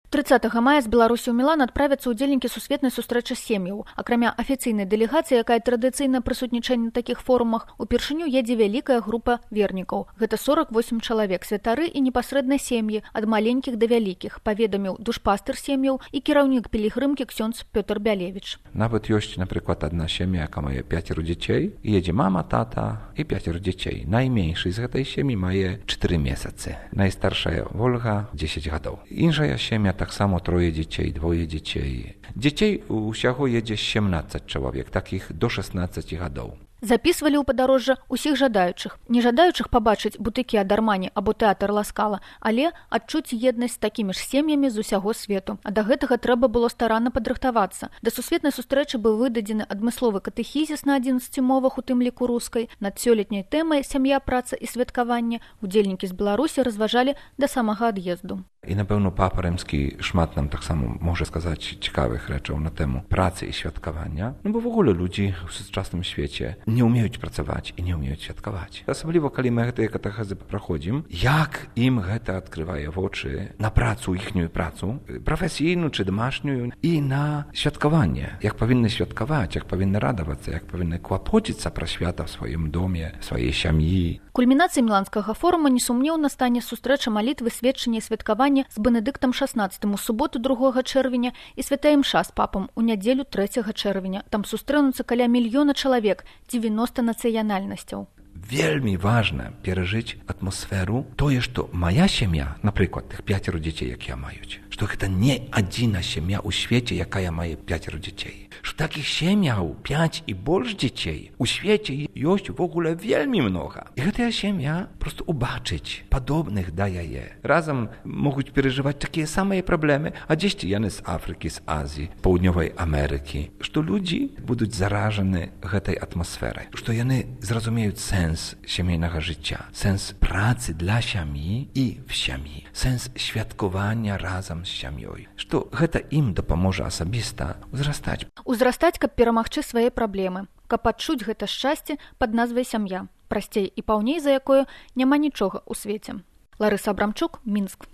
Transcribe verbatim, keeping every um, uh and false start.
трыццатага мая з Беларусі ў Мілан адправяцца ўдзельнікі сусветнай сустрэчы сем'яў. Акрамя афіцыйнай дэлегацыі, якая традыцыйна прысутнічае на такіх форумах, упершыню едзе вялікая група вернікаў. Гэта сорок восем чалавек, святары і непасрэдна сем'і, ад маленькіх да вялікіх, паведаміў душпастыр сем'яў і кіраўнік пілігрымкі ксёндз Пётр Бялевіч. Nawet jest na przykład jedna семья, jaka ma pięcioro dzieci, i jedzie mama, tata i pięcioro dzieci. Najmniejszy z tej семьи ma cztery miesiące. Najstarsza Wolga dziesięć lat. Inna семья tak samo troje dzieci, dwoje dzieci. Dzieci усяго jedzie siedemnaście człowiek, takich do szesnastu lat. Запісвалі ў падарожжа ўсіх жадаючых, не жадаючых пабачыць бутыкі ад Армані або тэатр Ласкала, але адчуць еднасць з такімі ж сем'ямі з усяго свету. А да гэтага трэба было старанна падрыхтавацца. Да сусветнай сустрэчы быў выдадзены адмысловы катэхізіс на адзінаццаці мовах, у тым ліку рускай. Над сёлетняй тэмай сям'я, праца і святкаванне удзельнікі з Беларусі разважалі да самага ад'езду. I na pewno Papa Rzymski szmat nam tak samo może skazać ciekawych rzeczy na temu pracy i świadkowania, no bo w ogóle ludzi w współczesnym świecie nie umieją pracować i nie umieją świadkować. Особливо, kiedy my te katechezy przechodzimy, jak im to odkrywa oczy na pracę, ich pracę, profesjonalną czy domasznią i na świadkowanie. Jak powinny świadkować, jak powinny radować się, jak powinny kłapodzić się pro świata w swoim domie, w swojej siamii. Кульмінацыяй міланскага форума несумнеўна стане сустрэча малітвы, сведчання і святкавання з Бенедыктам шаснаццатым у суботу другога чэрвеня і святая імша з папам у нядзелю трэцяга чэрвеня. Там сустрэнуцца каля мільёна чалавек, dziewięćdziesiąt nacjonalnością. Wielmi ważne przeżyć atmosferu, to jest to moja семья, na przykład tych pięcioro dzieci, jak ja mają, że to nie jedyna семья u świecie, jaka ja maję pięcioro dzieci. Że takich семьяў pięć i больше dzieci u świecie jest w ogóle wielmi mnoga. I ta семья просто ubaczyć podobnych daje je. Razem mogą przeżywać takie same problemy, a dzieci jany z Afryki, z Azji, Południowej Ameryki. Że ludzie będą zarażeni tej atmosferą. Że jany zrozumieją sens sens siemiejnego życia, sens pracy dla siami i w siami, sens świadkowania razem z siamią. Że гэта im dopomoże osobista uzrastać. Uzrastać, kab перамагчы свае праблемы, каб адчуць гэта шчасце пад назвай сям'я, прасцей і паўней за якое няма нічога ў свеце. Ларыса Абрамчук, Мінск.